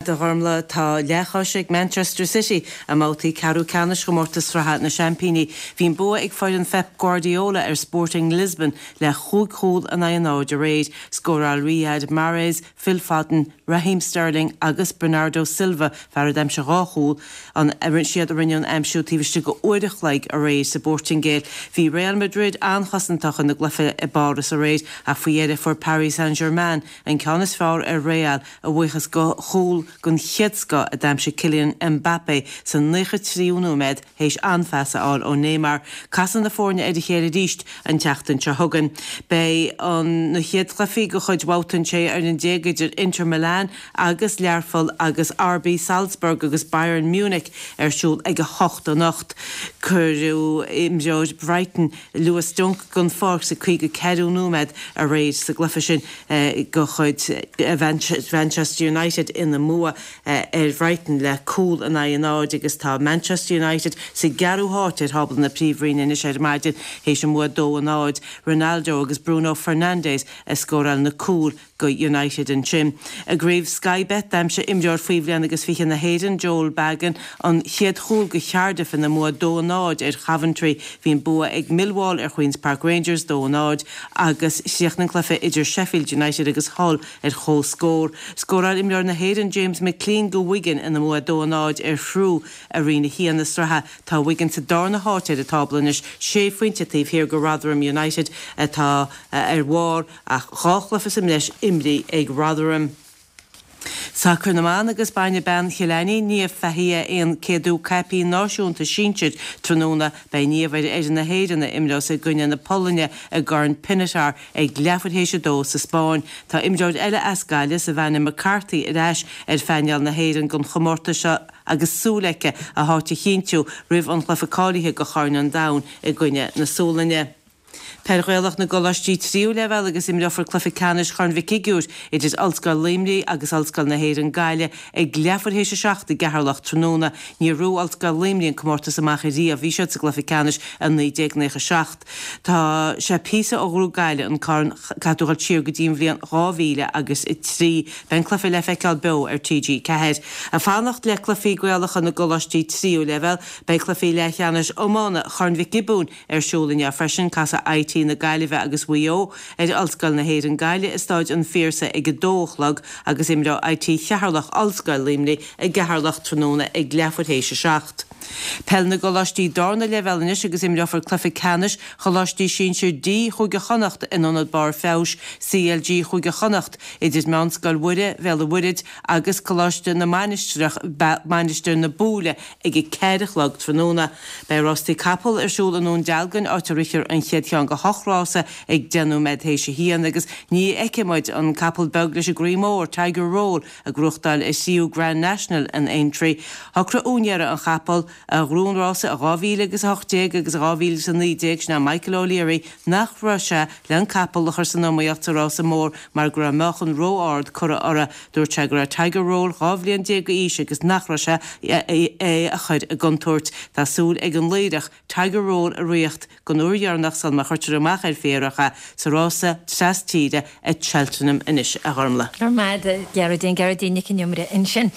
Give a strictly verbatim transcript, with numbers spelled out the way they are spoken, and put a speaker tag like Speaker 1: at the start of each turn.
Speaker 1: agat, a Ghormlaith. Tá leathchois ag Manchester City i mbabhtaí ceathrú ceannais chomórtas sraithe na Seaimpíní. Bhí an bua ag foireann Pep Guardiola ar Sporting Lisbon le chúig chúl in aghaidh a náid aréir. Scóráil Riyad Mahrez, Phil Foden, Raheem Sterling agus Bernardo Silva, fear a d'aimsigh dhá chúl, an siad a rinne an aimsiú taobh istigh d'uair a chloig aréir sa bPortaingéil. Bhí Real Madrid an-chosantach ina gcluiche i bPáras aréir ach faoi dheireadh fuair Paris Saint-Germain an ceann is fearr ar Real a bhuíochas do chúl den chéad scoth a d'aimsigh Kylian Mbappé sa naocha tríú nóiméad théis an-phas a fháil ó Neymar. Casfaidh na foirne ar a chéile arís an tseachtain seo chugainn. Beidh an na chéad chluichí de chuid bhabhta an sé fhoireann déag idir Inter Milan agus Learpholl agus R B Salzburg agus Bayern Munich ar siúl ag a hocht anocht. Cuireadh imreoir Brighton Lewis Dunk den pháirc sa caoga ceathrú nóiméad aréir sa gcluiche sin de chuid Manchester United ina mbua ar Bhrighton le cúl in aghaidh a náid agus tá Manchester United sa gceathrú háit ar thábla na Príomhroinne anois ar maidin théis an bua dó a náid. Ronaldo agus Bruno Fernandes a scóráil na cúil go United ansin. I gcraobh Sky Bet d'aimsigh imreoir faoi bhliain agus fiche na hÉireann Joel Bagan an chéad chúl go Cardiff ina mbua dó a náid ar Coventry. Bhí an bua ag Millwall ar Queen's Park Rangers dó a náid agus chríochnaigh an cluiche idir Sheffield United agus Hull ar comhscór. Scóráil imreoir na hÉireann James McClean go Wigan ina mbua dó a náid ar Chrewe i roinn a haon na sraithe. Tá Wigan sa darna háit ar an tábla anois sé phointe taobh thiar go Rotherham United atá ar bharr ach dhá chluiche sa mbreis imrithe ag Rotherham. Sacar na mban agus bainfidh bean Chill Ainnín Niamh Fahey a céadú caipín náisiúnta sinsir tráthnóna. Beidh Niamh ar fhoireann na hÉireann a imreos i gcoinne na Polainne i gCorn Pinatar ag leathuair théis a dó sa Spáinn. Tá imreoir eile as Gaillimh Savannah McCarthy ar ais ar phainéal na hÉireann don chomórtas seo agus súil aici a háit a chinntiú roimh an chluiche cáilithe go Chorn an Domhain i gcoinne na Sualainne. Peil Ghaelach na gColáistí tríú leibhéal agus imreofar cluiche ceannais Chorn Mhic Shigiúir idir Ollscoil Luimnigh agus Ollscoil na hÉireann Gaillimh ag leathuair théis a seacht i gCeatharlach tráthnóna. Níor bhuaigh Ollscoil Luimnigh an comórtas amach ariamh. Bhí siad sa gcluiche ceannais i naoi déag nócha seacht. Tá sé píosa ó ghnóthaigh Gaillimh an corn caithfidh tú dul siar go dtí an bhliain dhá mhíle agus a trí. Beidh an cluiche le feiceáil beo ar T G ceathair. Ag fanacht le cluichí Gaelacha na gColáistí tríú leibhéal, beidh cluichí leathcheannais iomána Chorn Mhic Giobúin ar siúl inniu freisin. Casfaidh I T na Gaillimhe agus Mhaigh Eo ar Ollscoil na hÉireann Gaillimh i Staid an Phiarsaigh ag a dó a chlog agus imreoidh I T Cheatharlach Ollscoil Luimnigh i gCeatharlach tráthnóna ag leathuair théis a seacht. Peil na gColáistí darna leibhéal anois agus imreofar cluiche ceannais Choláistí Sinsir D Chúige Chonnacht in Ionad Barr Feabhais C L G Chúige Chonnacht idir Meánscoil Mhuire Bhéal an Mhuirthead agus Coláiste na Mainistreach Mainistir na Búille ag a ceathair a chlog tráthnóna. Beidh rástaí capall ar siúl i nDún Dealgan áit a rithfear an chéad cheann de hocht rása ag deich nóiméad théis a haon agus ní fheicfidh muid an capall beag leis an gcroí mór Tiger Roll ag gnóthachtáil a thríú Grand National in Aintree. Shocraigh úinéir an chapaill a ghnóthaigh an rása i dhá mhíle agus a hocht déag agus dhá mhíle a naoi déag sin Michael O'Leary nach raibh sé le an capall a chur san iomaíocht sa rása mór mar go raibh meáchan ró-ard curtha orthu. Dúirt sé go raibh Tiger Roll dhá bhliain déag d'aois agus nach raibh sé é a chur i gcontúirt. Tá súil ag an Laoireach Tiger Roll a ritheacht don uair dheireanach sula má chuirtear amach ar féarach é sa rása trastíre at Cheltenham anois, a Ghormlaith.
Speaker 2: Ar maid Gearóidín Gearóidín Nic an Iomaire ansin.